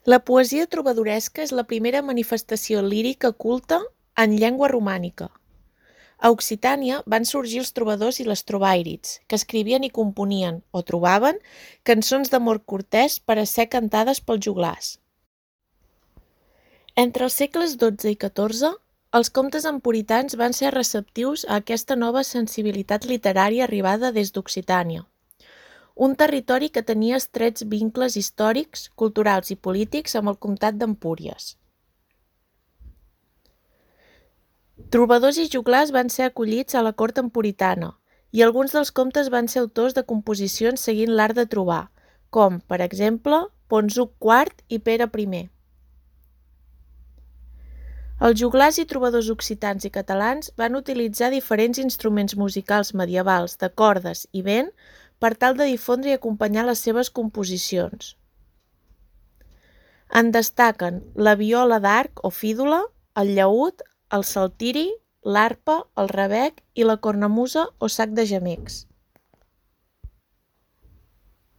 La poesia trobadoresca és la primera manifestació lírica culta en llengua romànica. A Occitània van sorgir els trobadors i les trobairids, que escrivien i componien, o trobaven, cançons d'amor cortès per a ser cantades pels joglars. Entre els segles XII i XIV, els comtes emporitans van ser receptius a aquesta nova sensibilitat literària arribada des d'Occitània, un territori que tenia estrets vincles històrics, culturals i polítics amb el comtat d'Empúries. Trobadors i joglars van ser acollits a la cort empuritana i alguns dels comtes van ser autors de composicions seguint l'art de trobar, com, per exemple, Ponzuc IV i Pere I. Els joglars i trobadors occitans i catalans van utilitzar diferents instruments musicals medievals de cordes i vent per tal de difondre i acompanyar les seves composicions. En destaquen la viola d'arc o fídula, el llaüt, el saltiri, l'arpa, el rabec i la cornamusa o sac de gemecs.